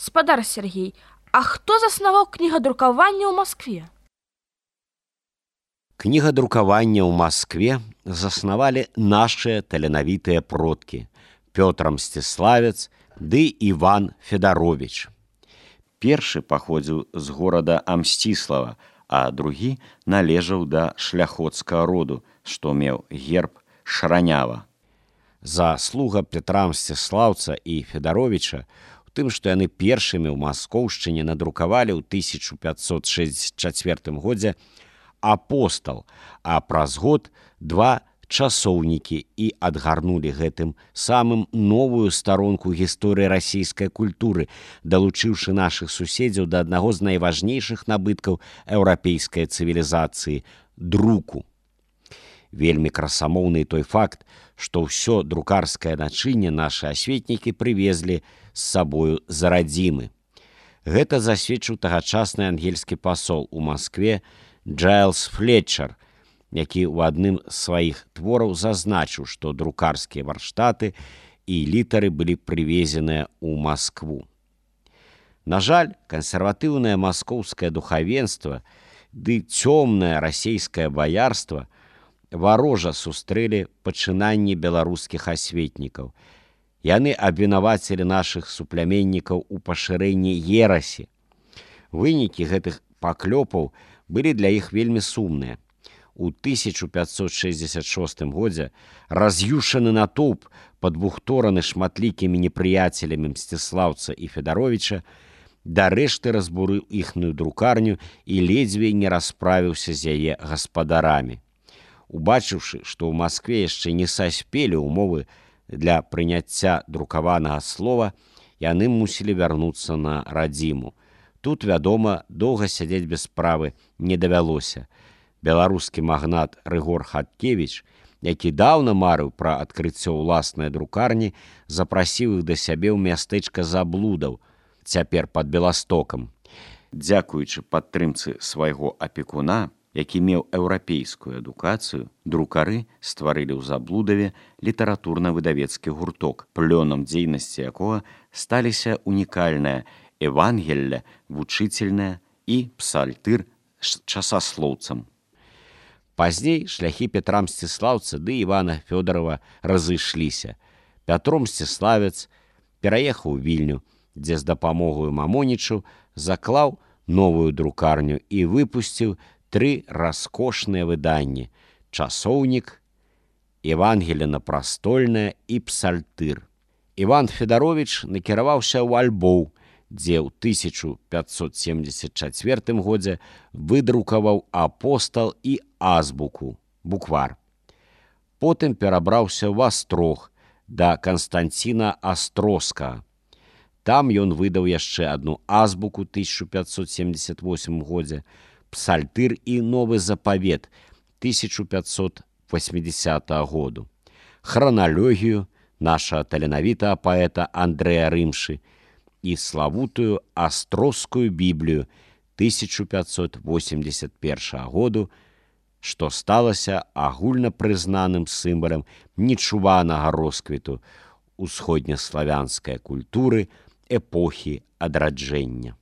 Спадар Сергей, а хто заснаваў кнігадрукаванне ў Маскве? Кнігадрукаванне ў Маскве заснавалі нашыя таленавітыя продкі Пётр Мсціславец ды Іван Федаровіч. Першы паходзіў з горада Амсціслава, а другі належаў да шляхоцкага роду, што меў герб Шранява. Заслуга Петра Мсціслаўца і Федаровіча у тым, што яны першымі ў Маскоўшчыне надрукавалі ў 1564 годзе апостал, а праз год два часоўнікі і адгарнулі гэтым самым новую старонку гісторыі расійскай культуры, далучыўшы нашых суседзяў да аднаго з найважнейшых набыткаў еўрапейскай цывілізацыі друку. Вельмі красамоўны той факт, што ўсё друкарскае начынне нашы асветнікі прывезлі з сабою з радзімы. Гэта засведчыў тагачасны ангельскі пасол у Маскве Джайлз Флетчер, які ў адным з сваіх твораў зазначыў, што друкарскія варштаты і літары былі прывезеныя ў Маскву. На жаль, кансерватыўнае маскоўскае духавенства ды цёмнае расейскае баярства варожа сустрэлі пачынанні беларускіх асветнікаў. Яны абвінавацілі нашых супляменнікаў у пашырэнні ерасі. Вынікі гэтых паклёпаў былі для іх вельмі сумныя. У 1566 годзе раз'юшаны натоўп, падбухтораны шматлікімі непрыяцелямі Мсціслаўца і Федаровіча, дарэшты разбурыў іхную друкарню і ледзьве не расправіўся з яе гаспадарамі. Убачыўшы, што ў Маскве яшчэ не саспелі ўмовы для прыняцця друкаванага слова, яны мусілі вярнуцца на радзіму. Тут, вядома, доўга сядзець без справы не давялося. Беларускі магнат Рыгор Хаткевіч, які даўна марыў пра адкрыццё ўласнай друкарні, запрасіў іх да сябе ў мястэчка Заблудаў, цяпер пад Беластокам. Дзякуючы падтрымцы свайго апекуна, які меў еўрапейскую адукацыю, друкары стварылі ў Заблудаве літаратурна-выдавецкі гурток, плёнам дзейнасці якога сталіся унікальная Евангелле, вучительная і псалтыр з часаслоўцам. Пазней шляхі Петра Мсціслаўца ды Івана Фёдорова разышліся. Пятро Мсціславец пераехаў у Вільню, дзе з дапамогаю Мамонічу заклаў новую друкарню і выпусціў 3 раскошныя выданні: часоўнік, Евангелле прастольнае і псалтыр. Іван Федаровіч накіраваўся ў Альбоў, дзе ў 1574 годзе выдрукаваў апостал і азбуку, буквар. Потым перабраўся ў Астрог да Канстанціна Астроскага. Там ён выдаў яшчэ адну азбуку 1578 годзе, псалтыр і новы запавет 1580 году, храналогію нашага таленавітага паэта Андрэя Рымшы і славутую Астрозскую Біблію 1581 году, што сталася агульнапрызнаным сімвалам нечуванага росквіту усходнеславянскай культуры эпохі адраджэння.